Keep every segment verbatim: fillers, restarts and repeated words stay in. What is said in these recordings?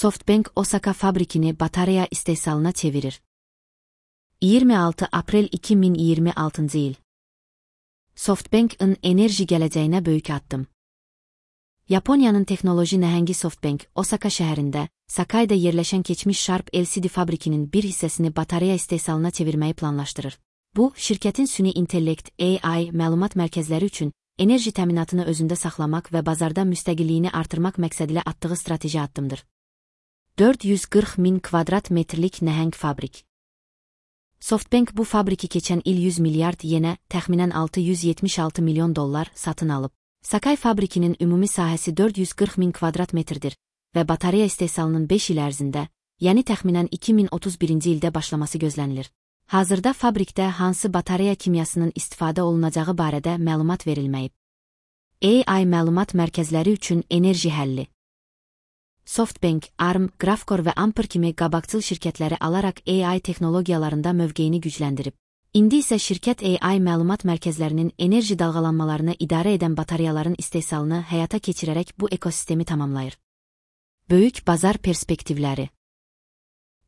SoftBank Osaka fabrikini batarya istehsalına çevirir. iyirmi altı aprel iki min iyirmi altıncı yıl. SoftBank'ın enerji gələcəyinə böyük addım. Yaponiyanın texnoloji nəhəngi SoftBank, Osaka şəhərində, Sakai'da yerləşən keçmiş Sharp L C D fabrikinin bir hissəsini batarya istehsalına çevirməyi planlaşdırır. Bu, şirkətin süni intellekt, A I, məlumat mərkəzləri üçün enerji təminatını özündə saxlamaq və bazarda müstəqilliyini artırmaq məqsədilə atdığı strateji addımdır. dörd yüz qırx min kvadrat metrlik nəhəng fabrik. SoftBank bu fabriki keçən il yüz milyard yenə, təxminən altı yüz yetmiş altı milyon dollar satın alıb. Sakai fabrikinin ümumi sahəsi dörd yüz qırx min kvadrat metrdir və batarya istehsalının beş il ərzində, yəni təxminən iki min otuz birinci ildə başlaması gözlənilir. Hazırda fabrikdə hansı batarya kimyasının istifadə olunacağı barədə məlumat verilməyib. A I məlumat mərkəzləri üçün enerji həlli. SoftBank, Arm, Graphcore və Ampere kimi qabaqcıl şirkətləri alaraq A I texnologiyalarında mövqeyini gücləndirib. İndi isə şirkət A I məlumat mərkəzlərinin enerji dalğalanmalarını idarə edən bataryaların istehsalını həyata keçirərək bu ekosistemi tamamlayır. Böyük bazar perspektivləri.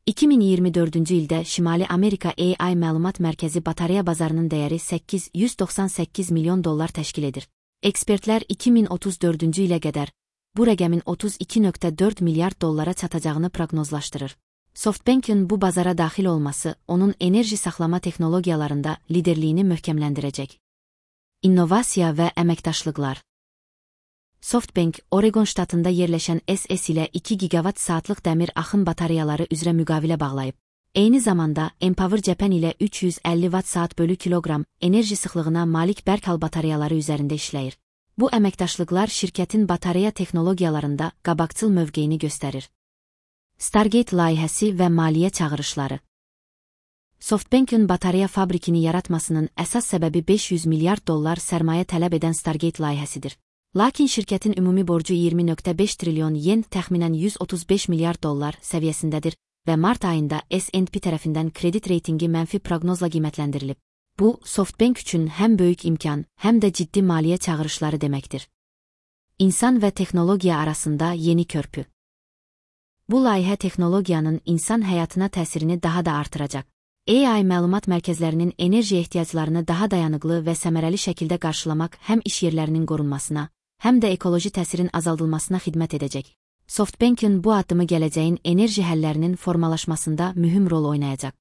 iki min iyirmi dördüncü ildə Şimali Amerika A I məlumat mərkəzi batarya bazarının dəyəri səkkiz yüz doxsan səkkiz milyon dollar təşkil edir. Ekspertlər iki min otuz dördüncü ilə qədər bu rəqəmin otuz iki nöqtə dörd milyard dollara çatacağını proqnozlaşdırır. SoftBank'ın bu bazara daxil olması onun enerji saxlama texnologiyalarında liderliyini möhkəmləndirəcək. İnnovasiya və əməkdaşlıqlar. SoftBank, Oregon ştatında yerləşən S S ilə iki gigavat saatlıq dəmir axın bataryaları üzrə müqavilə bağlayıb. Eyni zamanda, Empower Japan ilə üç yüz əlli watt saat bölü kiloqram enerji sıxlığına malik Berkal bataryaları üzərində işləyir. Bu əməkdaşlıqlar şirkətin batarya texnologiyalarında qabaqcıl mövqeyini göstərir. Stargate layihəsi və maliyyə çağırışları. SoftBank'ın batarya fabrikini yaratmasının əsas səbəbi beş yüz milyard dollar sərmayə tələb edən Stargate layihəsidir. Lakin şirkətin ümumi borcu iyirmi nöqtə beş trilyon yen, təxminən yüz otuz beş milyard dollar səviyyəsindədir və mart ayında S and P tərəfindən kredit reytingi mənfi proqnozla qiymətləndirilib. Bu, SoftBank üçün həm böyük imkan, həm də ciddi maliyyə çağırışları deməkdir. İnsan və texnologiya arasında yeni körpü. Bu layihə texnologiyanın insan həyatına təsirini daha da artıracaq. A I məlumat mərkəzlərinin enerji ehtiyaclarını daha dayanıqlı və səmərəli şəkildə qarşılamaq həm iş yerlərinin qorunmasına, həm də ekoloji təsirin azaldılmasına xidmət edəcək. SoftBank'ın bu addımı gələcəyin enerji həllərinin formalaşmasında mühüm rol oynayacaq.